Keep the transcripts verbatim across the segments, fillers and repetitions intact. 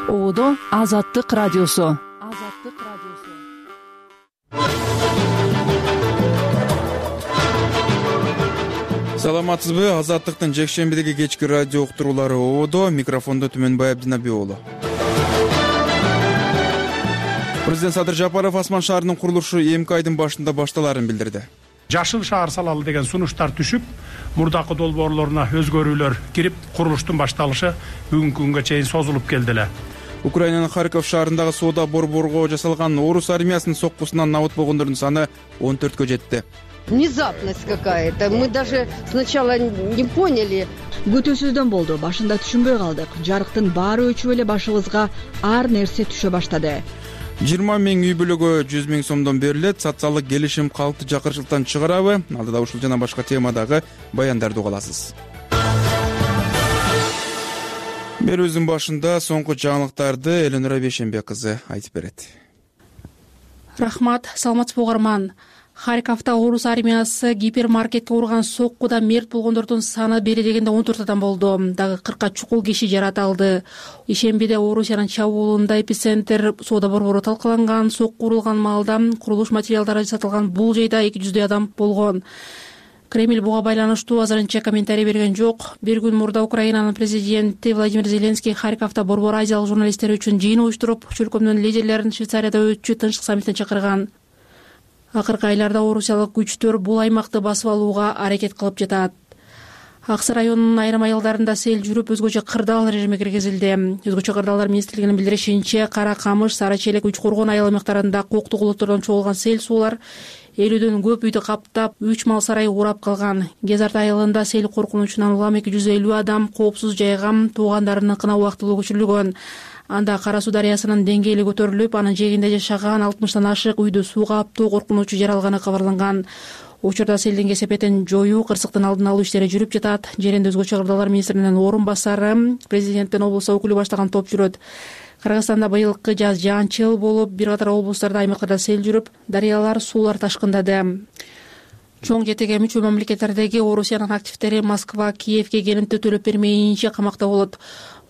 Оодо Азаттык радиосу. Азаттык радиосу. Саламатсызбы? Азаттыктын жекшембидеги кечки радио уктуруулары Оодо. Микрофондо Түмөнбай Абдинаби уулу. Президент Садыр Жапаров Асман шаарынын курулушу эмки айдын башында башталарын билдирди. Жашыл шаар салалы деген сунуштар түшүп, мурдакы долбоорлоруна өзгөрүүлөр кирип, курулуштун башталышы бүгүнкү күнгө чейин созулуп келди эле. Украинанын Харьков шаарындагы соода борборго жасалган орус армиясынын соккусунан набыт болгондордун саны он төрткө жетти. Внезапность какая-то. Мы даже сначала не поняли. Күтүүсүздөн болду. Башында түшүнбөй калдык. Жарыктын баары өчүп эле башыбызга ар нерсе түшө баштады. жыйырма миң үй бүлөгө жүз миң сомдон берилет. Социалдык келишим калкты жакырчылыктан чыгарабы? Алдыда ушул жана башка темадагы баяндарды уга аласыз. Берүүбүздүн башында соңку жаңылыктарды Эленора Бейшенбек кызы айтып берет. Рахмат, саламатсызбы угарман. Харьковдо орус армиясы гипермаркетке урган соккуда мерт болгондордун саны бери дегенде он төрт адам болду. Дагы кыркка чукул киши жаратылды. Ишембиде Орусиянын чабуулунда эпицентр соода борбору талкаланган. Сокку урулган маалда курулуш материалдары сатылган бул жайда эки жүздөй адам болгон. Кремль буга байланыштуу азырынча комментарий берген жок. Бир күн мурда Украинанын президенти Владимир Зеленский Харьковдо борбор азиялык журналисттер үчүн жыйын уюштуруп, чөлкөмдүн лидерлерин Швейцарияда өтчү тынчтык саммитине чакырган. Акыркы айларда орусиялык күчтөр бул аймакты басып алууга аракет кылып жатат. Аксы районунун айрым айылдарында сел жүрүп, өзгөчө кырдаал режиме киргизилди. Өзгөчө кырдаалдар министрлигинин билдиришинче, Кара Камыш, Сара Челек, Үч Коргон айыл аймактарында коктук улуттордон чогулган сел суулар элүүдөн көп үйдү каптап, үч мал сарай урап калган. Кезарт айылында сел коркунучунан улам эки жүз элүү адам коопсуз жайга туугандарынын кына убактылуу көчүрүлгөн. Анда Кара Суу дарыясынын деңгээли көтөрүлүп, анын жээгинде жашаган алтымыштан ашык үйдү сууга аптуу коркунучу жаралганы кабарланган. Учурда селдин кесепетин жоюу, кырсыктын алдын алуу иштери жүрүп жатат. Жеринде өзгөчө кырдаалдар министринин орун басары, президенттин облус өкүлү баштаган топ жүрөт. Кыргызстанда быйылкы жаз жаанчыл болуп, бир катар облустарда, аймактарда сел жүрүп, дарыялар, суулар ташкындады. Чоң жетеге мүчө мамлекеттердеги Орусиянын активдери Москва, Киевге келимти төлөп бермейинче камакта болот.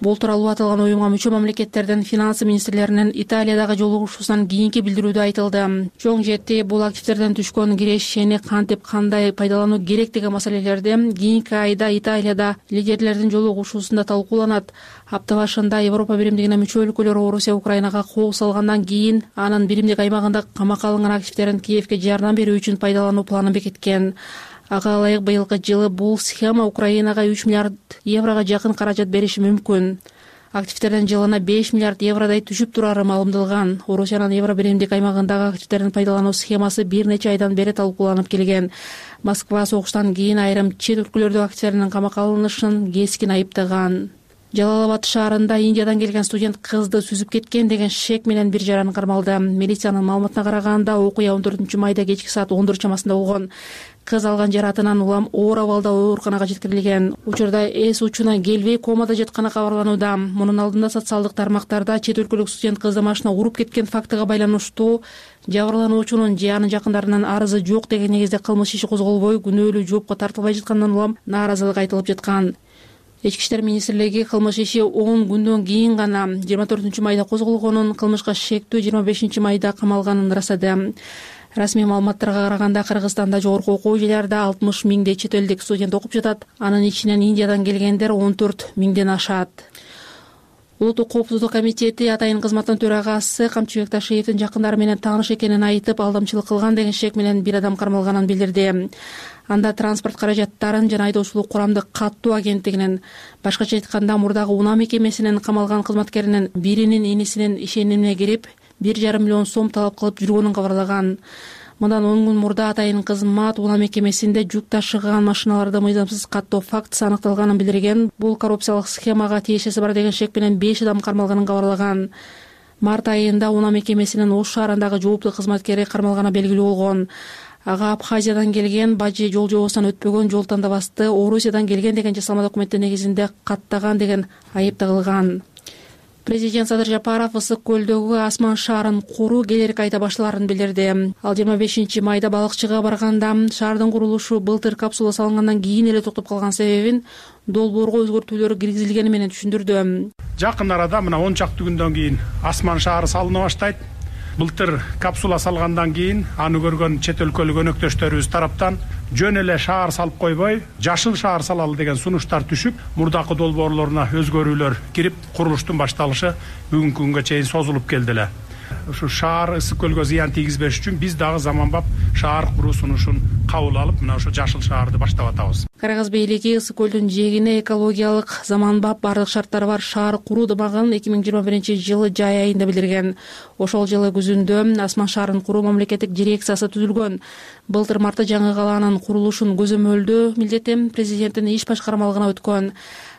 Бул тууралуу аталган уюмга мүчө мамлекеттердин финансы министрлеринин Италиядагы жолугушуусунан кийинки билдирүүдө айтылды. Чоң жети бул активдерден түшкөн кирешени кантип, кандай пайдалануу керек деген маселелерди кийинки айда Италияда лидерлердин жолугушуусунда талкууланат. Апта башында Европа биримдигине мүчө өлкөлөр Орусия Украинага кол салгандан кийин анын биримдик аймагында камакка алынган активдерин Киевге жардам берүү үчүн пайдалануу планын бекиткен. Ага ылайык быйылкы жылы бул схема Украинага үч миллиард еврого жакын каражат бериши мүмкүн. Активдердин жылына беш миллиард евродой түшүп турары маалымдалган. Орусиянын Евро биримдик аймагындагы активдердин пайдалануу схемасы бир нече айдан бери талкууланып келген. Москва согуштан кийин айрым чет өлкөлөрдө активдердин камакка алынышын кескин айыптаган. Жалал-Абад шаарында Индиядан келген студент кызды сүзүп кеткен деген шек менен бир жаран кармалды. Милициянын маалыматына караганда, окуя он төртүнчү майда кечки саат он төрт чамасында болгон. Кыз алган жаратынан улам оор абалда ооруканага жеткирилген. Учурда эс учуна келбей комада жатканы кабарланууда. Мунун алдында социалдык тармактарда чет өлкөлүк студент кызды машина уруп кеткен фактыга байланыштуу жабырлануучунун же анын жакындарынын арызы жок деген негизде кылмыш иши козголбой, күнөөлүү жоопко тартылбай жатканынан улам нааразылык айтылып жаткан. Ички иштер министрлиги кылмыш иши он күндөн кийин гана жыйырма төртүнчү майда козголгонун, кылмышка шектүү жыйырма бешинчи майда камалганын ырастады. Расмий маалыматтарга караганда, Кыргызстанда жогорку окуу жайларда алтымыш миңдей чет элдик студент окуп жатат. Анын ичинен Индиядан келгендер он төрт миңден ашат. Улуттук коопсуздук комитети атайын кызматтын төрагасы Камчыбек Ташиевдин жакындары менен тааныш экенин айтып, алдамчылык кылган деген шек менен бир адам кармалганын билдирди. Анда транспорт каражаттарын жана айдоочулук курамдык каттоо агенттигинин, башкача айтканда мурдагы унаа мекемесинин камалган кызматкеринин биринин инисинин ишенимине кирип, бир жарым миллион сом талап кылып жүргөнүн кабарлаган. Мындан он күн мурда атайын кызмат унаа мекемесинде жүк ташыган машиналарды мыйзамсыз каттоо фактысы аныкталганын билдирген. Бул коррупциялык схемага тиешеси бар деген шек менен беш адам кармалганын кабарлаган. Март айында унаа мекемесинин Ош шаарындагы жооптуу кызматкери кармалганы белгилүү болгон. Ага Абхазиядан келген, бажы жол жобосунан өтпөгөн, жол тандабасты, Орусиядан келген деген жасалма документтин негизинде каттаган деген айып тагылган. Президент Садыр Жапаров Ысык көлдөгү Асман шаарын куруу келерки айда башталарын билдирди. Ал жыйырма бешинчи майда балыкчыга барганда шаардын курулушу былтыр капсула салынгандан кийин эле токтоп калган себебин долбоорго өзгөртүүлөр киргизилгени менен түшүндүрдү. Жакын арада мына он чакты күндөн кийин Асман шаары салына баштайт. Былтыр капсула салгандан кийин аны көргөн чет өлкөлүк өнөктөштөрүбүз тараптан жөн эле шаар салып койбой, жашыл шаар салалы деген сунуштар түшүп, мурдакы долбоорлоруна өзгөрүүлөр кирип, курулуштун башталышы бүгүнкү күнгө чейин созулуп келди эле. Ушу шаар ысык көлгө зыян тийгизбеш үчүн биз дагы заманбап шаар куруу сунушун кабыл алып, мына ошо жашыл шаарды баштап атабыз. Карагаз бийлиги Ысык көлдүн жээгине экологиялык заманбап бардык шарттары бар шаар куруу дымагын эки миң жыйырма биринчи жылы жай айында билдирген. Ошол жылы күзүндө Асман шаарын куруу мамлекеттик дирекциясы түзүлгөн. Былтыр мартта жаңы калаанын курулушун көзөмөлдөө милдети президенттин иш башкармалыгына өткөн.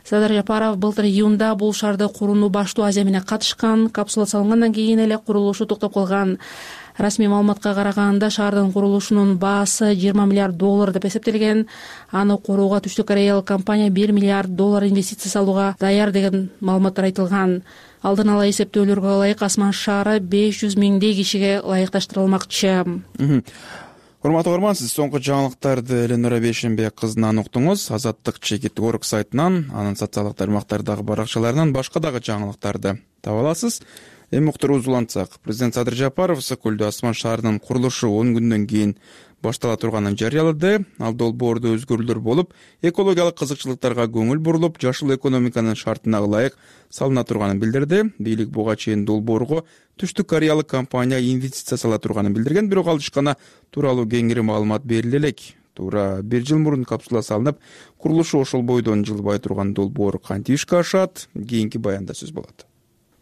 Садыр Жапаров былтыр июнда бул шаарды курууну баштоо аземине катышкан, капсула салынгандан кийин эле курулушу токтоп калган. Расмий маалыматка караганда шаардын курулушунун баасы жыйырма миллиард доллар деп эсептелген. Аны курууга Түштүк Кореялык компания бир миллиард доллар инвестиция салууга даяр деген маалыматтар айтылган. Алдын ала эсептөөлөргө ылайык Асман шаары беш жүз миңдей кишиге ылайыкташтырылмакчы. Урматтуу угарман, сиз соңку жаңылыктарды Эленора Бейшенбек кызынан уктуңуз. Азаттык чекит орг сайтынан, анын социалдык тармактардагы баракчаларынан башка дагы жаңылыктарды таба аласыз. Эми уктуруубузду улантсак, президент Садыр Жапаров Ысык көлдө Асман шаарынын курулушу он күндөн кийин баштала турганын жарыялады. Ал долбоордо өзгөрүүлөр болуп, экологиялык кызыкчылыктарга көңүл бурулуп, жашыл экономиканын шартына ылайык салына турганын билдирди. Бийлик буга чейин долбоорго Түштүк Кореялык компания инвестиция сала турганын билдирген, бирок ал ишкана тууралуу кеңири маалымат бериле элек. Туура бир жыл мурун капсула салынып, курулушу ошол бойдон жылбай турган долбоор кантип ишке ашат? Кийинки баянда сөз болот.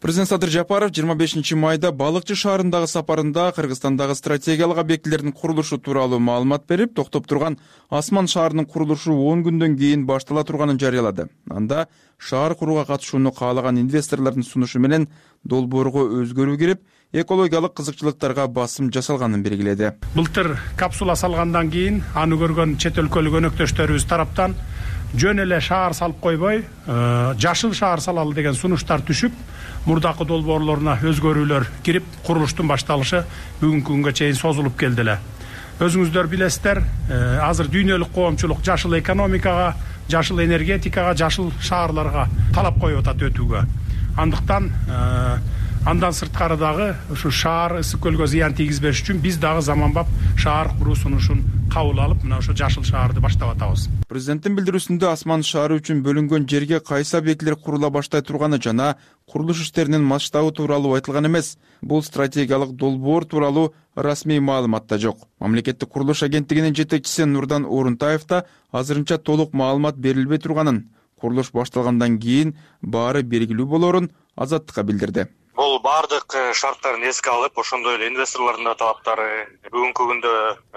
Президент Садыр Жапаров жыйырма бешинчи майда балыкчы шаарындагы сапарында Кыргызстандагы стратегиялык объектилердин курулушу тууралуу маалымат берип, токтоп турган Асман шаарынын курулушу он күндөн кийин баштала турганын жарыялады. Анда шаар курууга катышууну каалаган инвесторлордун сунушу менен долбоорго өзгөрүү кирип, экологиялык кызыкчылыктарга басым жасалганын белгиледи. Былтыр капсула салгандан кийин аны көргөн чет өлкөлүк өнөктөштөрүбүз тараптан жөн эле шаар салып койбой, жашыл шаар салалы деген сунуштар түшүп, мурдакы долбоорлоруна өзгөрүүлөр кирип, курулуштун башталышы бүгүнкү күнгө чейин созулуп келди эле. Өзүңүздөр билесиздер, азыр дүйнөлүк коомчулук жашыл экономикага, жашыл энергетикага, жашыл шаарларга талап коюп атат өтүүгө. Андыктан андан сырткары дагы ушу шаар ысык көлгө зыян тийгизбеш үчүн биз дагы заманбап шаар куруу сунушун кабыл алып, мына ошо жашыл шаарды баштап атабыз. Президенттин билдирүүсүндө Асман шаары үчүн бөлүнгөн жерге кайсы объектилер курула баштай турганы жана курулуш иштеринин масштабы тууралуу айтылган эмес. Бул стратегиялык долбоор тууралуу расмий маалымат да жок. Мамлекеттик курулуш агенттигинин жетекчиси Нурдан Орунтаев да азырынча толук маалымат берилбей турганын, курулуш башталгандан кийин баары белгилүү болорун Азаттыкка билдирди. Бул бардык шарттарын эске алып, ошондой эле инвесторлордун да талаптары, бүгүнкү күндө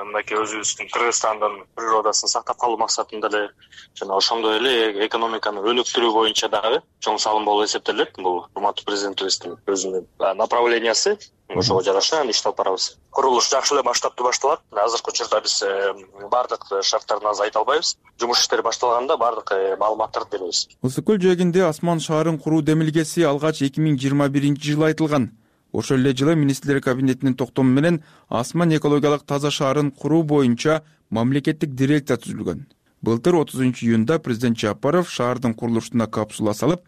мынакей өзүбүздүн Кыргызстандын природасын сактап калуу максатында эле жана ошондой эле экономиканы өнүктүрүү боюнча дагы чоң салым болуп эсептелет. Бул урматтуу президентибиздин өзүнүн направлениясы. Ошого жараша иштеп алып барабыз. Курулуш жакшы эле масштабтуу башталат. Азыркы учурда биз бардык шарттарын азыр айта албайбыз. Жумуш иштери башталганда бардык маалыматтарды беребиз. Ысык көл жээгинде Асман шаарын куруу демилгеси алгач эки миң жыйырма биринчи жылы айтылган. Ошол эле жылы министрлер кабинетинин токтому менен Асман экологиялык таза шаарын куруу боюнча мамлекеттик дирекция түзүлгөн. Былтыр отузунчу июнда президент Жапаров шаардын курулушуна капсула салып,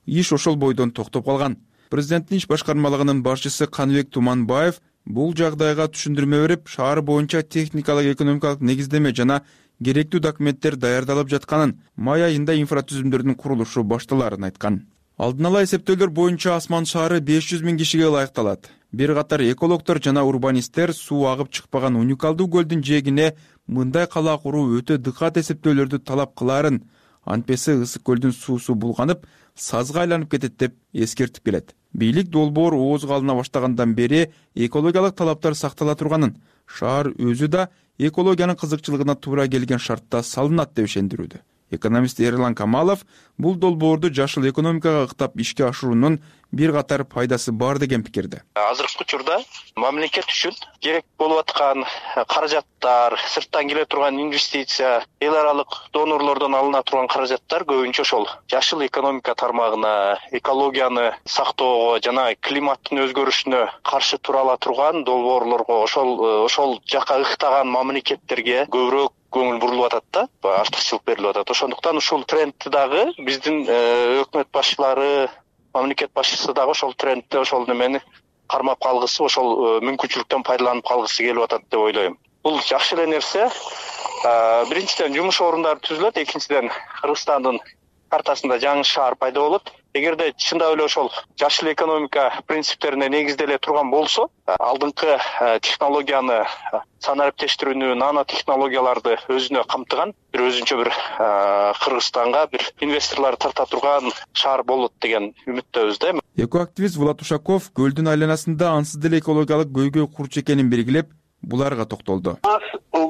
иш ошол бойдон токтоп калган. Президенттин иш башкармалыгынын башчысы Каныбек Туманбаев бул жагдайга түшүндүрмө берип, шаар боюнча техникалык экономикалык негиздеме жана керектүү документтер даярдалып жатканын, май айында инфратүзүмдөрдүн курулушу башталарын айткан. Алдын ала эсептөөлөр боюнча Асман шаары беш жүз миң кишиге ылайыкталат. Бир катар экологтор жана урбанисттер суу агып чыкпаган уникалдуу көлдүн жээгине мындай кала куруу өтө дыкат эсептөөлөрдү талап кылаарын, антпесе ысык көлдүн суусу булганып, сазга айланып кетет деп эскертип келет. Бийлик долбоор оозго алына баштагандан бери экологиялык талаптар сактала турганын, шаар өзү да экологиянын кызыкчылыгына туура келген шартта салынат деп ишендирүүдө. Экономист Эрлан Камалов бул долбоорду жашыл экономикага ыктап ишке ашыруунун бир катар пайдасы бар деген пикирде. Азыркы учурда мамлекет үчүн керек болуп аткан каражаттар, сырттан келе турган инвестиция, эл аралык донорлордон алына турган каражаттар көбүнчө ошол жашыл экономика тармагына, экологияны сактоого жана климаттын өзгөрүшүнө каршы тура ала турган долбоорлорго, ошол ошол жака ыктаган мамлекеттерге көбүрөөк көңүл бурулуп атат да, артыкчылык берилип атат. Ошондуктан ушул трендти дагы биздин өкмөт башчылары, мамлекет башчысы дагы ошол трендти, ошол немени кармап калгысы, ошол мүмкүнчүлүктөн пайдаланып калгысы келип атат деп ойлойм. Бул жакшы эле нерсе. Биринчиден жумуш орундары түзүлөт, экинчиден Кыргызстандын картасында жаңы шаар пайда болот. Эгерде чындап эле ошол жашыл экономика принциптерине негизделе турган болсо, алдыңкы технологияны, санариптештирүүнү, нано технологияларды өзүнө камтыган бир өзүнчө бир Кыргызстанга бир инвесторлор тарта турган шаар болот деген үмүттөбүз да. Экоактивист Влад Ушаков көлдүн айланасында ансыз деле экологиялык көйгөй курч экенин белгилеп, буларга токтолду.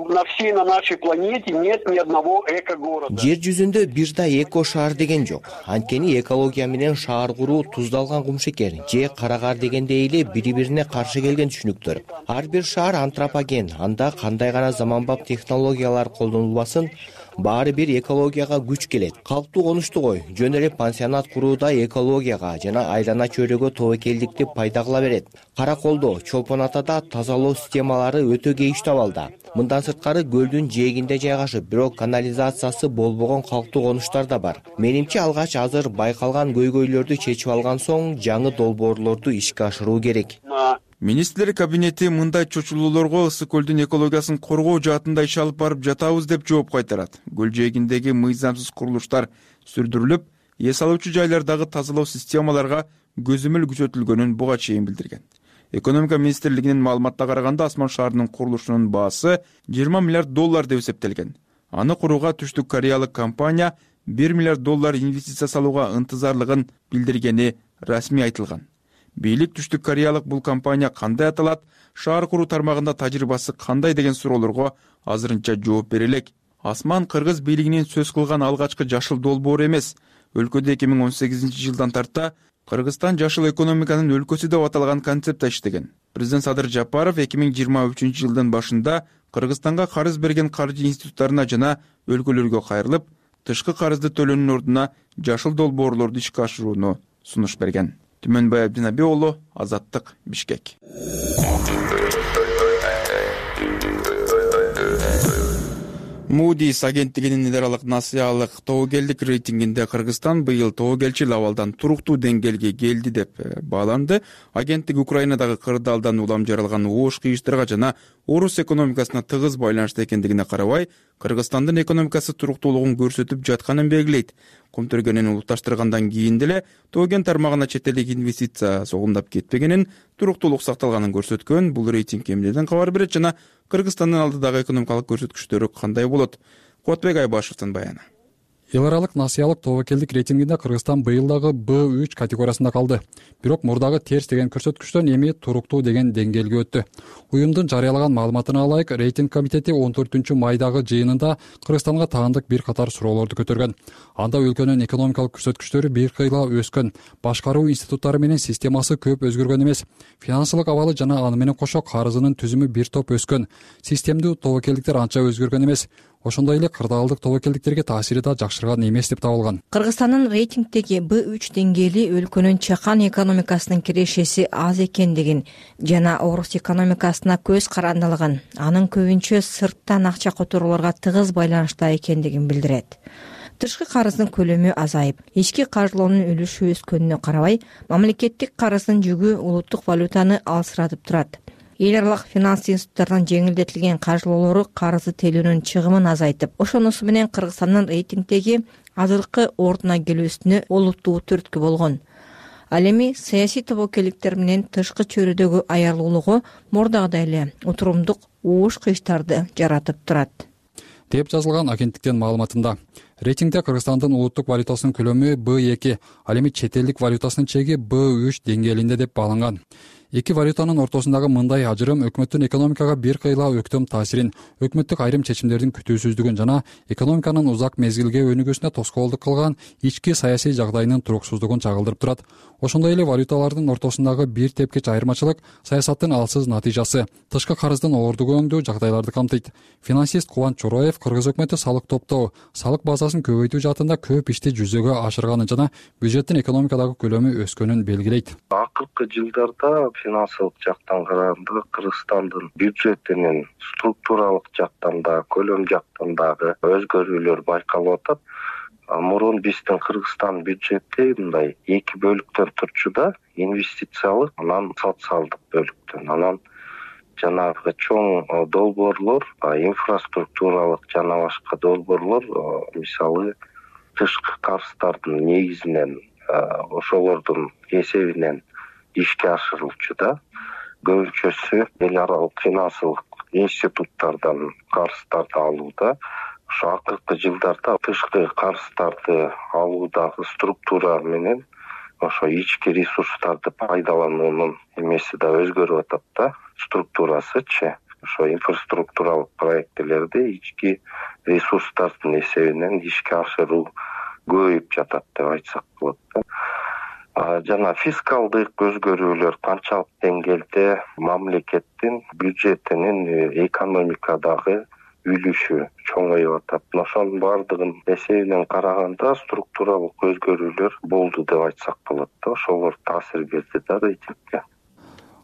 На всей на нашей планете нет ни одного эко-города. Жер жүзүндө бир да эко шаар деген жок. Анткени экология менен шаар куруу туздалган кумшекер же карагар дегендей эле бири-бирине каршы келген түшүнүктөр. Ар бир шаар антропоген, анда кандай гана заманбап технологиялар колдонулбасын, баары бир экологияга күч келет. Калктуу конуштугой, жөн эле пансионат курууда экологияга жана айлана чөйрөгө тобокелдикти пайда кыла берет. Караколдо, Чолпон Атада тазалоо системалары өтө кейиштүү абалда. Мындан сырткары көлдүн жээгинде жайгашып, бирок канализациясы болбогон калктуу конуштар да бар. Менимче алгач азыр байкалган көйгөйлөрдү чечип алган соң жаңы долбоорлорду ишке ашыруу керек. Министрлер кабинети мындай чочулуулорго ысык көлдүн экологиясын коргоо жаатында иш алып барып жатабыз деп жооп кайтарат. Көл жээгиндеги мыйзамсыз курулуштар сүрдүрүлүп, эс алуучу жайлардагы тазалоо системаларга көзөмөл күчөтүлгөнүн буга чейин билдирген. Экономика министрлигинин маалыматына караганда Асман шаарынын курулушунун баасы жыйырма миллиард доллар деп эсептелген. Аны курууга Түштүк Кореялык компания бир миллиард доллар инвестиция салууга ынтызарлыгын билдиргени расмий айтылган. Бийлик Түштүк Кореялык бул компания кандай аталат, шаар куруу тармагында тажрыйбасы кандай деген суроолорго азырынча жооп бере элек. Асман кыргыз бийлигинин сөз кылган алгачкы жашыл долбоор эмес. Өлкөдө эки миң он сегизинчи жылдан тарта Кыргызстан жашыл экономиканын өлкөсү деп аталган концептте иштеген. Президент Садыр Жапаров эки миң жыйырма үчүнчү жылдын башында Кыргызстанга карыз берген каржы институттарына жана өлкөлөргө кайрылып, тышкы карызды төлөөнүн ордуна жашыл долбоорлорду ишке ашырууну сунуш берген. Түмөнбай Абдинабий уулу, Азаттык, Бишкек. Moody's агенттигинин эл аралык насыялык тобокелдик рейтингинде Кыргызстан быйыл тобокелчил абалдан туруктуу деңгээлге келди деп бааланды. Агенттик Украинадагы кырдаалдан улам жаралган оош кыйыштарга жана орус экономикасына тыгыз байланыштуу экендигине карабай, Кыргызстандын экономикасы туруктуулугун көрсөтүп жатканын белгилейт. Комтөргөнүн улутташтыргандан кийин деле тоген тармагына чет элдик инвестиция согумдап кетпегенин, туруктуулук сакталганын көрсөткөн. Бул рейтинг эмнеден кабар берет жана Кыргызстандын алдыдагы экономикалык көрсөткүчтөрү кандай болот? Куатбек Айбашевдин баяны. Эл аралык насыялык тобокелдик рейтингинде Кыргызстан быйыл дагы Б үч категориясында калды. Бирок мурдагы терс деген көрсөткүчтөн эми туруктуу деген деңгээлге өттү. Уюмдун жарыялаган маалыматына ылайык, рейтинг комитети он төртүнчү майдагы жыйынында Кыргызстанга таандык бир катар суроолорду көтөргөн. Анда өлкөнүн экономикалык көрсөткүчтөрү бир кыйла өскөн, башкаруу институттары менен системасы көп өзгөргөн эмес, финансылык абалы жана аны менен кошо карызынын түзүмү бир топ өскөн, системдүү тобокелдиктер анча өзгөргөн эмес. Ошондой эле кырдаалдык тобокелдиктерге таасири да жакшырган эмес деп табылган. Кыргызстандын рейтингдеги Б үч деңгээли өлкөнүн чакан экономикасынын кирешеси аз экендигин жана орус экономикасына көз карандылыгын, анын көбүнчө сырттан акча которууларга тыгыз байланыштуу экендигин билдирет. Тышкы карыздын көлөмү азайып, ички каржылоонун үлүшү өскөнүнө карабай, мамлекеттик карыздын жүгү улуттук валютаны алсыратып турат. Эл аралык финанс институттарынан жеңилдетилген каржылоолору карызды төлөөнүн чыгымын азайтып, ошонусу менен Кыргызстандын рейтингдеги азыркы ордуна келүүсүнө олуттуу түрткү болгон. Ал эми саясий тобокелдиктер менен тышкы чөйрөдөгү аярлуулугу мурдагыдай эле утурумдук оош кыйыштарды жаратып турат деп жазылган агенттиктин маалыматында. Рейтингде Кыргызстандын улуттук валютасынын көлөмү Б эки, ал эми чет элдик валютасынын чеги Б үч деңгээлинде деп бааланган. Эки валютанын ортосундагы мындай ажырым өкмөттүн экономикага бир кыйла өктөм таасирин, өкмөттүк айрым чечимдердин күтүүсүздүгүн жана экономиканын узак мезгилге өнүгүүсүнө тоскоолдук кылган ички саясий жагдайынын туруксуздугун чагылдырып турат. Ошондой эле валюталардын ортосундагы бир тепкич айырмачылык саясаттын алсыз натыйжасы, тышкы карыздын оордугөңдүү жагдайларды камтыйт. Финансист Кубанч Чороев кыргыз өкмөтү салык топтоо, салык базасын көбөйтүү жаатында көп ишти жүзөгө ашырганын жана бюджеттин экономикадагы көлөмү өскөнүн белгилейт. Акыркы жылдарда финансылык жактан караганда Кыргызстандын бюджетинин структуралык жактан да, көлөм жактан дагы өзгөрүүлөр байкалып атат. Мурун биздин Кыргызстан бюджети мындай эки бөлүктөн турчу да, инвестициялык, анан социалдык бөлүктөн. Анан жанагы чоң долбоорлор, инфраструктуралык жана башка долбоорлор, мисалы тышкы карыздардын негизинен, ошолордун эсебинен ишке ашырылчу да. Көбүнчөсү эл аралык финансылык институттардан карыздарды алууда. Ошо акыркы жылдарда тышкы карыздарды алуудагы структура менен ошо ички ресурстарды пайдалануунун эмеси да өзгөрүп атат да, структурасычы. Ошо инфраструктуралык проектилерди ички ресурстардын эсебинен ишке ашыруу көбөйүп жатат деп айтсак болот да. Жана фискалдык өзгөрүүлөр канчалык деңгээлде мамлекеттин бюджетинин экономикадагы үлүшү чоңоюп атат. Ошонун баардыгын эсебинен караганда структуралык өзгөрүүлөр болду деп айтсак болот да. Ошолор таасир берди да рейтингге.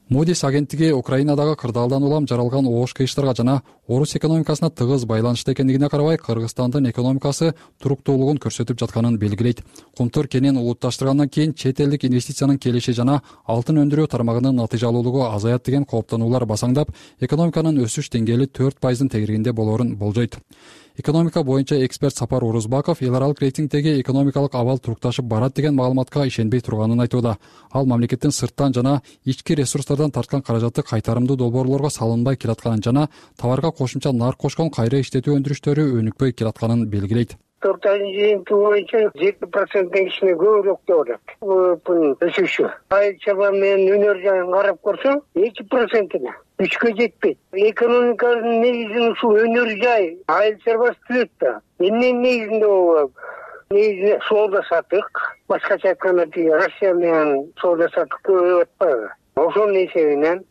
Moody's агенттиги Украинадагы кырдаалдан улам жаралган оош кыйыштарга жана орус экономикасына тыгыз байланыштуу экендигине карабай, Кыргызстандын экономикасы туруктуулугун көрсөтүп жатканын белгилейт. Кумтур кенин улутташтыргандан кийин чет элдик инвестициянын келиши жана алтын өндүрүү тармагынын натыйжалуулугу азаят деген кооптонуулар басаңдап, экономиканын өсүш деңгээли төрт пайыздын тегерегинде болоорун болжойт. Экономика боюнча эксперт Сапар Орузбаков эл аралык рейтингдеги экономикалык абал турукташып барат деген маалыматка ишенбей турганын айтууда. Ал мамлекеттин сырттан жана ички ресурстардан тарткан каражаты кайтарымдуу долбоорлорго салынбай келатканын жана товарга кошумча нарк кошкон кайра иштетүү өндүрүштөрү өнүкпөй келатканын белгилейт. төрт айдын жыйынтыгы боюнча жети проценттен кичине көбүрөөк деп атат. Бул өсүшү. Айыл чабан менен өнөр жайын карап көрсөң, эки процентине үчкө жетпейт. Экономиканын негизин ушул өнөр жай, айыл чарбасы түзөт да. Эмненин негизинде болот? Негизинде соода сатык, башкача айтканда Россия менен соода сатык көбөйүп атпайбы? Ошонун эсебинен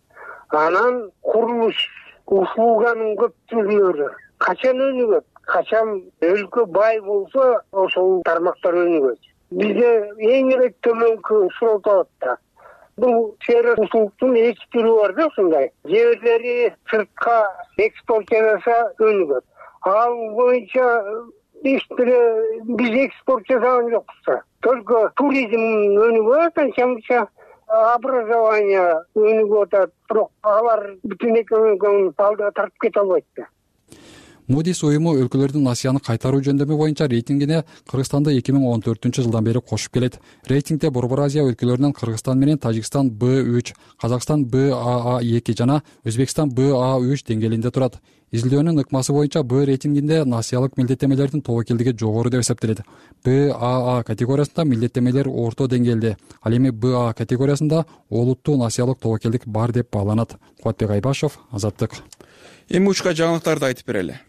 анан курулуш услуганын көптүгүлөрү качан өнүгөт? Качан өлкө бай болсо, ошол тармактар өнүгөт. Бизде эң эле төмөнкү суроо болот да. Бул чейра услугтун эки түрү бар да, ушундай. Жеберлери сыртка экспорт жасаса өнүгөт. Ал боюнча эчтере биз экспорт жасаган жокпуз. Только туризм өнүгөт, анча-мынча образование өнүгүп атат, бирок алар бүтүн экономиканы алдыга тартып кете албайт да. Moody's уюму өлкөлөрдүн Насияны кайтаруу жөндөмү боюнча рейтингине Кыргызстанды эки миң он төртүнчү жылдан бери кошуп келет. Рейтингде Борбор Азия өлкөлөрүнөн Кыргызстан менен Тажикстан Б үч, Казакстан Б А А эки жана Өзбекстан Б А үч деңгээлинде турат. Изилдөөнүн ыкмасы боюнча Б рейтингинде насыялык милдеттемелердин тобокелдиги жогору деп эсептелет. Б А А категориясында милдеттемелер орто деңгээлде, ал эми Б А категориясында олуттуу насыялык тобокелдик бар деп бааланат. Кубатбек Айбашев, Азаттык. Эми учка жаңылыктарды айтып берели.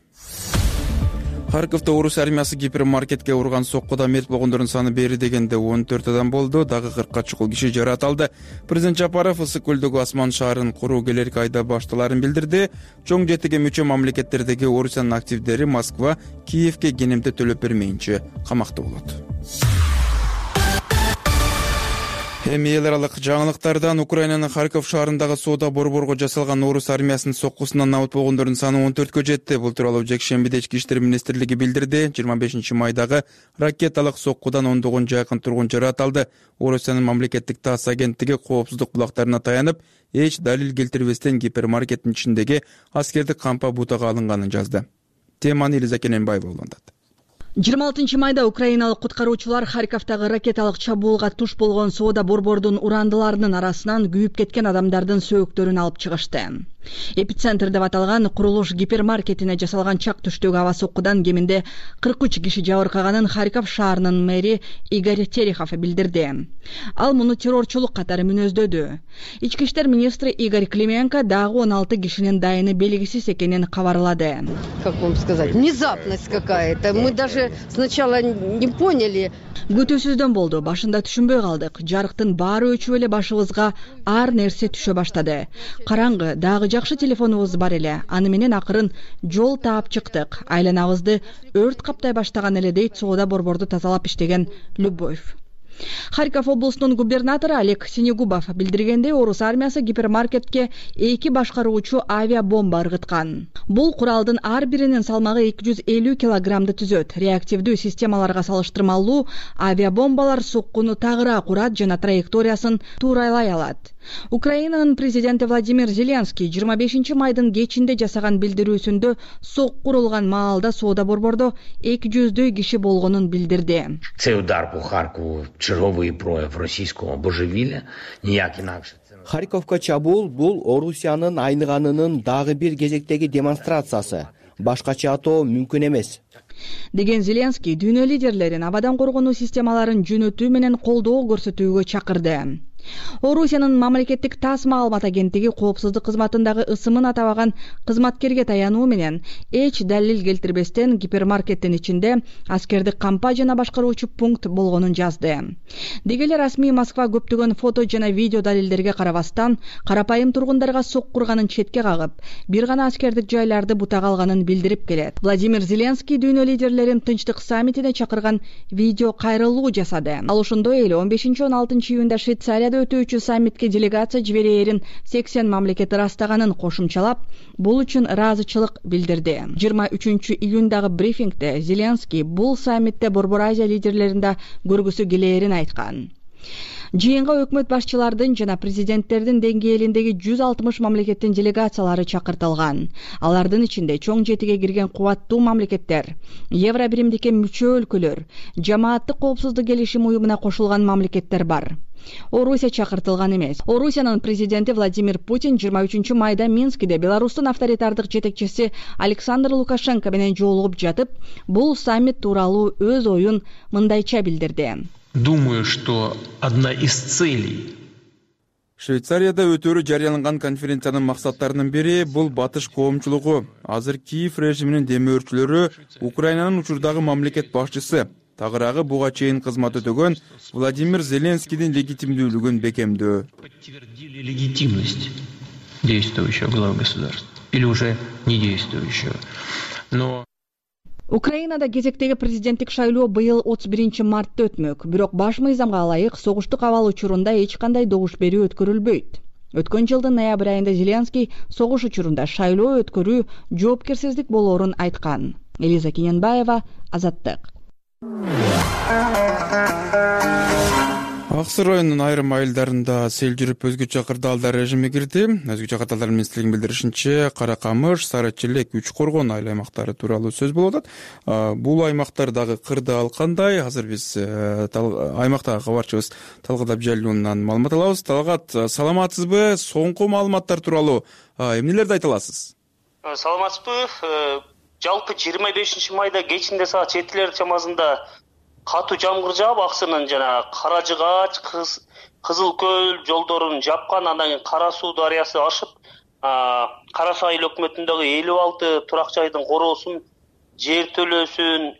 Харьковдо орус армиясы гипермаркетке урган соккуда мерт болгондордун саны бери дегенде он төрт адам болду, дагы кыркка чукул киши жаратылды. Президент Жапаров Ысык көлдөгү Асман шаарын куруу келерки айда башталарын билдирди. Чоң жетиге мүчө мамлекеттердеги орусиянын активдери Москва, Киевке кенемде төлөп бермейинче камакта болот. Эми эл аралык жаңылыктардан Украинанын Харьков шаарындагы соода борборго жасалган орус армиясынын соккусунан набыт болгондордун саны он төрткө жетти. Бул тууралуу жекшембиде Ички иштер министрлиги билдирди. жыйырма бешинчи майдагы ракеталык соккудан ондогон жакын тургун жаратылды. Орусиянын мамлекеттик тасс агенттиги коопсуздук булактарына таянып, эч далил келтирбестен гипермаркеттин ичиндеги аскердик кампа бутага алынганын жазды. Теманы Элиза Кененбаева улантат. жыйырма алтынчы майда украиналык куткаруучулар Харьковдагы ракеталык чабуулга туш болгон соода борбордун урандыларынын арасынан күйүп кеткен адамдардын сөөктөрүн алып чыгышты. Эпицентр деп аталган курулуш гипермаркетине жасалган чак түштөгү аба соккудан кеминде кырк үч киши жабыркаганын Харьков шаарынын мэри Игорь Терехов билдирди. Ал муну террорчулук катары мүнөздөдү. Ички иштер министри Игорь Клименко дагы он алты кишинин дайыны белгисиз экенин кабарлады. Как вам сказать, внезапность какая-то. Мы даже сначала не поняли. Күтүүсүздөн болду. Башында түшүнбөй калдык. Жарыктын баары өчүп эле башыбызга ар нерсе түшө баштады. Караңгы, дагы жакшы телефонубуз бар эле. Аны менен акырын жол таап чыктык. Айланабызды өрт каптай баштаган эле дейт соода борборду тазалап иштеген Любовь. Харьков облусунун губернатору Олег Синегубов билдиргендей, орус армиясы гипермаркетке эки башкаруучу авиабомба ыргыткан. Бул куралдын ар биринин салмагы эки жүз элүү килограммды түзөт. Реактивдүү системаларга салыштырмалуу авиабомбалар соккуну тагыраак урат жана траекториясын туурайлай алат. Украинанын президенти Владимир Зеленский жыйырма бешинчи майдын кечинде жасаган билдирүүсүндө сокку урулган маалда соода борбордо эки жүздөй киши болгонун билдирди. Цей удар по Харькову черговый прояв российского божевилия, ніяк інакше. Харьковко чабуул бул Орусиянын айныганынын дагы бир кезектеги демонстрациясы. Башкача атоо мүмкүн эмес. Деген Зеленский дүйнө лидерлерин абадан коргонуу системаларын жөнөтүү менен колдоо көрсөтүүгө чакырды. Орусиянын мамлекеттик ТАСС маалымат агенттиги коопсуздук кызматындагы ысымын атабаган кызматкерге таянуу менен эч далил келтирбестен гипермаркеттин ичинде аскердик кампа жана башкаруучу пункт болгонун жазды. Деги эле расмий Москва көптөгөн фото жана видео далилдерге карабастан карапайым тургундарга сокку урганын четке кагып, бир гана аскердик жайларды бутага алганын билдирип келет. Владимир Зеленский дүйнө лидерлерин тынчтык саммитине чакырган видео кайрылуу жасады. Ал ошондой эле он бешинчи он алтынчы июнда Швейцарияда өтүүчү саммитке делегация жиберээрин сексен мамлекет ырастаганын кошумчалап, бул үчүн ыраазычылык билдирди. жыйырма үчүнчү июндагы брифингде Зеленский бул саммитте Борбор Азия лидерлерин да көргүсү келээрин айткан. Жыйынга өкмөт башчылардын жана президенттердин деңгээлиндеги жүз алтымыш мамлекеттин делегациялары чакыртылган. Алардын ичинде чоң жетиге кирген кубаттуу мамлекеттер, Евро биримдикке мүчө өлкөлөр, жамааттык коопсуздук келишим уюмуна кошулган мамлекеттер бар. Орусия чакыртылган эмес. Орусиянын президенти Владимир Путин жыйырма үчүнчү майда Минскиде Беларустун авторитардык жетекчиси Александр Лукашенко менен жолугуп жатып, бул саммит тууралуу өз оюн мындайча билдирди. Думаю, что одна из целей Швейцарияда өтөрү жарыяланган конференциянын максаттарынын бири бул батыш коомчулугу. Азыр Киев режиминин демөөрчүлөрү Украинанын учурдагы мамлекет башчысы, тагыраагы буга чейин кызмат өтөгөн Владимир Зеленскийдин легитимдүүлүгүн бекемдөө. Подтвердили легитимность действующего главы государства или уже не действующего. Но Украинада кезектеги президенттик шайлоо быйыл отуз биринчи мартта өтмөк. Бирок баш мыйзамга ылайык согуштук абал учурунда эч кандай добуш берүү өткөрүлбөйт. Өткөн жылдын ноябрь айында Зеленский согуш учурунда шайлоо өткөрүү жоопкерсиздик болоорун айткан. Элиза Кененбаева, Азаттык. Аксы районунун айрым айылдарында сел жүрүп өзгөчө кырдаалдар режими кирди. Өзгөчө кырдаалдар министрлигинин билдиришинче, Кара Камыш, Сары Челек, Үч Коргон айыл аймактары тууралуу сөз болуп атат. Бул аймактардагы кырдаал кандай? Азыр биз аймактагы кабарчыбыз Талгат Абжалиевнан маалымат алабыз. Талгат, саламатсызбы? Соңку маалыматтар тууралуу эмнелерди айта аласыз? Саламатсызбы? Жалпы жыйырма бешинчи майда кечинде саат жетилер чамасында катуу жамгыр жаап, Аксынын жана Кара Жыгач, Кызыл Көл жолдорун жапкан. Андан кийин Кара Суу дарыясы ашып, Кара Суу айыл өкмөтүндөгү элүү алты турак жайдын короосун, жер төлөөсүн,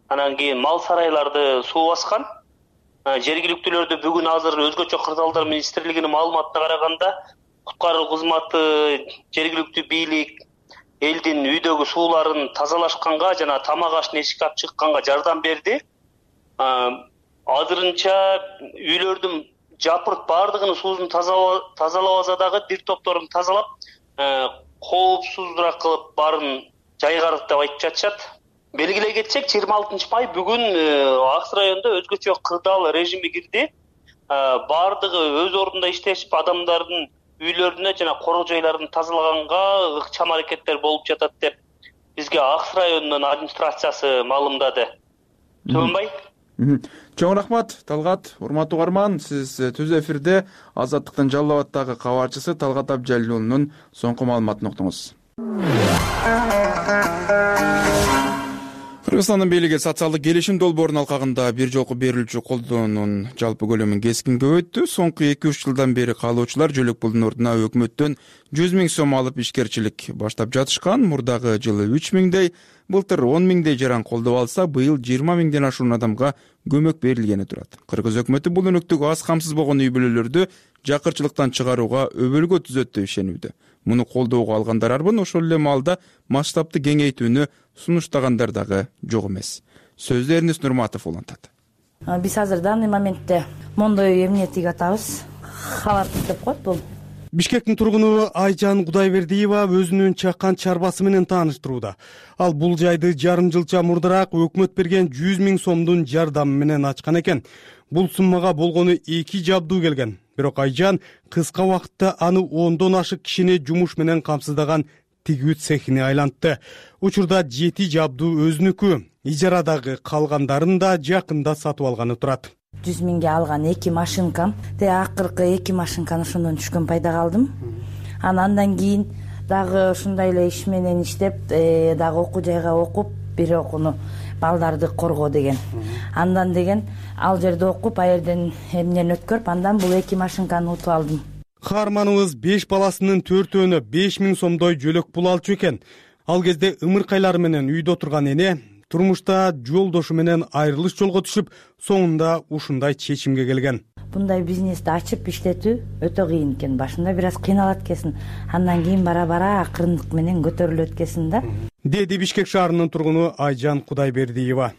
анан кийин мал сарайларды суу баскан. Жергиликтүүлөрдө бүгүн азыр өзгөчө кырдаалдар министрлигинин маалыматына караганда, куткаруу кызматы, жергиликтүү бийлик элдин үйдөгү сууларын тазалашканга жана тамак ашын эшикке алып чыкканга жардам берди. Азырынча үйлөрдүн жапырт баардыгынын суусун тазалабаса дагы бир топторун тазалап, коопсуздураак кылып баарын жайгардык деп айтып жатышат. Белгилей кетсек, жыйырма алтынчы май бүгүн Аксы районунда өзгөчө кырдаал режими кирди. Баардыгы өз ордунда иштешип, адамдардын үйлөрүнө жана короо жайларын тазалаганга ыкчам аракеттер болуп жатат деп бизге Аксы районунун администрациясы маалымдады. Төөнбай? Чоң рахмат Талгат. Урматтуу угарман, сиз түз эфирде Азаттыктын Жалал Абаддагы кабарчысы Талгат Абдыжалил уулунун соңку маалыматын уктуңуз. Кыргызстандын бийлиги социалдык келишим долбоорунун алкагында бир жолку берилүүчү колдоонун жалпы көлөмүн кескин көбөйттү. Соңку эки үч жылдан бери каалоочулар жөлөк пулдун ордуна өкмөттөн жүз миң сом алып ишкерчилик баштап жатышкан. Мурдагы жылы үч миңдей, былтыр он миңдей жаран колдоп алса, быйыл жыйырма миңден ашуун адамга көмөк берилгени турат. Кыргыз өкмөтү бул өнөктүгү аз камсыз болгон үй бүлөлөрдү жакырчылыктан чыгарууга өбөлгө түзөт деп ишенүүдө. Муну колдоого алгандар арбын, ошол эле маалда масштабты кеңейтүүнү сунуштагандар дагы жок эмес. Сөздү Эрнест Нурматов улантат. Биз азыр данный моментте мондой эмнетиги атабыз. Халаттык деп коет бул. Бишкектин тургуну Айжан Кудайбердиева өзүнүн чакан чарбасы менен тааныштырууда. Ал бул жайды жарым жылча мурдараак өкмөт берген жүз миң сомдун жардамы менен ачкан экен. Бул суммага болгону эки жабдуу келген. Бирок Айжан кыска убакытта аны ондон ашык кишини жумуш менен камсыздаган тигүү цехине айлантты. Учурда жети жабдуу өзүнүкү, ижарадагы калгандарын да жакында сатып алганы турат. жүз миңге алган эки машинкам, те акыркы эки машинканы ошондон түшкөн пайдага алдым. Андан кийин дагы ушундай эле иш менен иштеп, дагы окуу жайга окуп, бир окууну балдарды коргоо деген. Андан деген ал жерде окуп, ал жерден эмнени өткөрүп, андан бул эки машинканы утуп алдым. Каарманыбыз беш баласынын төртөөнө беш миң сомдой жөлөк пул алчу экен. Ал кезде ымыркайлары менен үйдө отурган эне турмушта жолдошу менен айрылыш жолго түшүп, соңунда ушундай чечимге келген. Мындай бизнести ачып иштетүү өтө кыйын экен. Башында бир аз кыйналат экенсиң. Андан кийин бара-бара акырындык менен көтөрүлөт экенсиң да. Деди Бишкек шаарынын тургуну Айжан Кудайбердиева.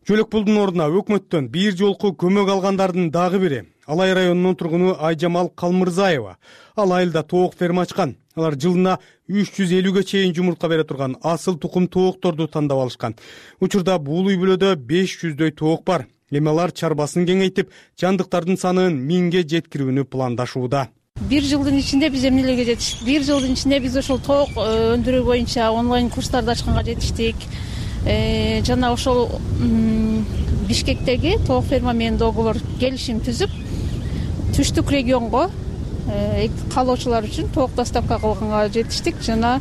Жөлөк пулдун ордуна өкмөттөн бир жолку көмөк алгандардын дагы бири Алай районунун тургуну Айжамал Калмырзаева. Ал айылда тоок ферма ачкан. Алар жылына үч жүз элүүгө чейин жумуртка бере турган асыл тукум тоокторду тандап алышкан. Учурда бул үй бүлөдө беш жүздөй тоок бар. Эми алар чарбасын кеңейтип, жандыктардын санын миңге жеткирүүнү пландашууда. Бир жылдын ичинде биз эмнелерге жетиштик? Бир жылдын ичинде биз ошол тоок өндүрүү боюнча онлайн курстарды ачканга жетиштик. Жана ошол Бишкектеги тоок ферма менен договор келишим түзүп, түштүк регионго каалоочулар үчүн тоок доставка кылганга жетиштик. Жана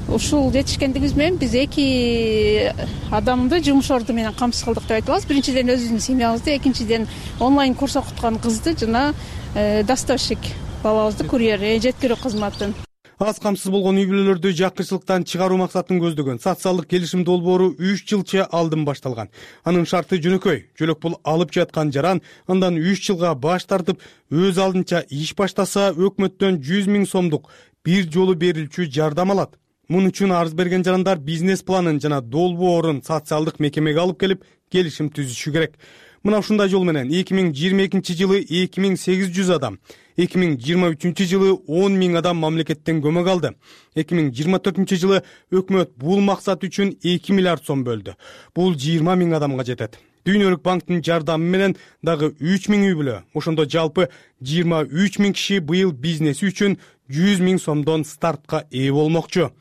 ушул жетишкендигибиз менен биз эки адамды жумуш орду менен камсыз кылдык деп айта алабыз. Биринчиден өзүбүздүн семьябызды, экинчиден онлайн курс окуткан кызды жана доставщик балабызды, курьер, жеткирүү кызматын. Аз камсыз болгон үй бүлөлөрдү жакырчылыктан чыгаруу максатын көздөгөн социалдык келишим долбоору үч жылча алдын башталган. Анын шарты жөнөкөй. Жөлөк пул алып жаткан жаран андан үч жылга баш тартып, өз алдынча иш баштаса, өкмөттөн жүз миң сомдук бир жолу берилчү жардам алат. Мун үчүн арыз берген жарандар бизнес планын жана долбоорун социалдык мекемеге алып келип, келишим түзүшү керек. Мына ушундай жол менен эки миң жыйырма экинчи жылы эки миң сегиз жүз адам, эки миң жыйырма үчүнчү жылы он миң адам мамлекеттен көмөк алды. эки миң жыйырма төртүнчү жылы өкмөт бул максат үчүн эки миллиард сом бөлдү. Бул жыйырма миң адамга жетет. Дүйнөлүк банктын жардамы менен дагы үч миң үй бүлө, ошондо жалпы жыйырма үч миң киши быйыл бизнеси үчүн жүз миң сомдон стартка ээ болмокчу.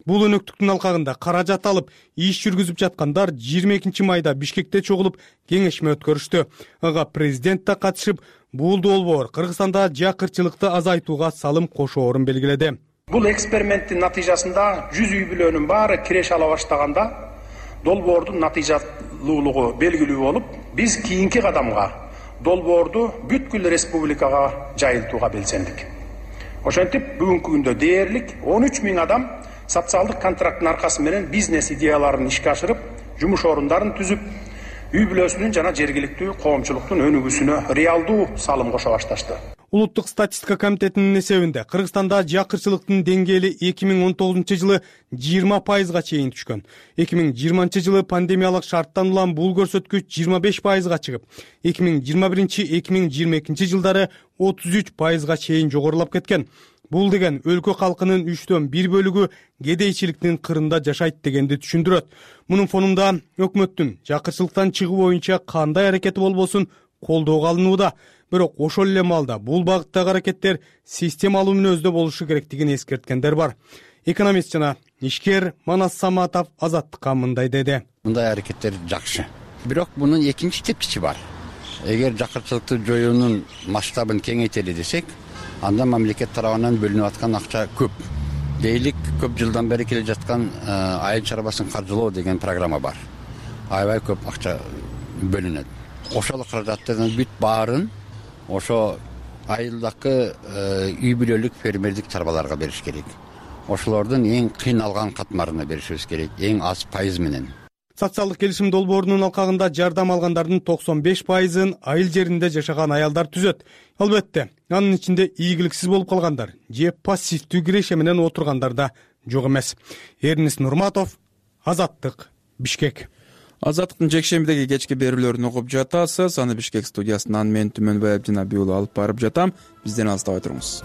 Бул өнөктүктүн алкагында каражат алып, иш жүргүзүп жаткандар жыйырма экинчи майда Бишкекте чогулуп кеңешме өткөрүштү. Ага президент да катышып, бул долбоор Кыргызстанда жакырчылыкты азайтууга салым кошоорун белгиледи. Бул эксперименттин натыйжасында жүз үй бүлөнүн баары киреше ала баштаганда долбоордун натыйжалуулугу белгилүү болуп, биз кийинки кадамга долбоорду бүткүл республикага жайылтууга белсендик. Ошентип бүгүнкү күндө дээрлик он үч миң адам социалдык контракттын аркасы менен бизнес идеяларын ишке ашырып, жумуш орундарын түзүп, үй бүлөсүнүн жана жергиликтүү коомчулуктун өнүгүүсүнө реалдуу салым кошо башташты. Улуттук статистика комитетинин эсебинде Кыргызстанда жакырчылыктын деңгээли эки миң он тогузунчу жылы жыйырма пайызга чейин түшкөн. эки миң жыйырманчы жылы пандемиялык шарттан улам бул көрсөткүч жыйырма беш пайызга чыгып, эки миң жыйырма биринчи — эки миң жыйырма экинчи жылдары отуз үч пайызга чейин жогорулап кеткен. Бул деген өлкө калкынын үчтөн бир бөлүгү кедейчиликтин кырында жашайт дегенди түшүндүрөт. Мунун фонунда өкмөттүн жакырчылыктан чыгуу боюнча кандай аракети болбосун колдоого алынууда. Бирок ошол эле маалда бул багыттагы аракеттер системалуу мүнөздө болушу керектигин эскерткендер бар. Экономист жана ишкер Манас Саматов Азаттыкка мындай деди. Мындай аракеттер жакшы. бирок мунун экинчи четкичи бар. Эгер жакырчылыкты жоюунун масштабын кеңейтели десек, анда мамлекет тарабынан бөлүнүп аткан акча көп. Дейлик көп жылдан бери келе жаткан айыл чарбасын каржылоо деген программа бар. Аябай көп акча бөлүнөт. Ошол каражаттын бүт баарын ошо айылдагы үй бүлөлүк фермердик чарбаларга бериш керек. Ошолордун эң кыйналган катмарына беришибиз керек, эң аз пайыз менен. Социалдык келишим долбоорунун алкагында жардам алгандардын токсон беш пайызын айыл жеринде жашаган аялдар түзөт. Албетте, анын ичинде ийгиликсиз болуп калгандар же пассивдүү киреше менен отургандар да жок эмес. Эрнис Нурматов, Азаттык, Бишкек. Азаттыктын жекшембидеги кечки берүүлөрүн угуп жатасыз. Аны Бишкек студиясынан мен Түмөнбай Абдинабий уулу алып барып жатам. Бизден алыстабай туруңуз.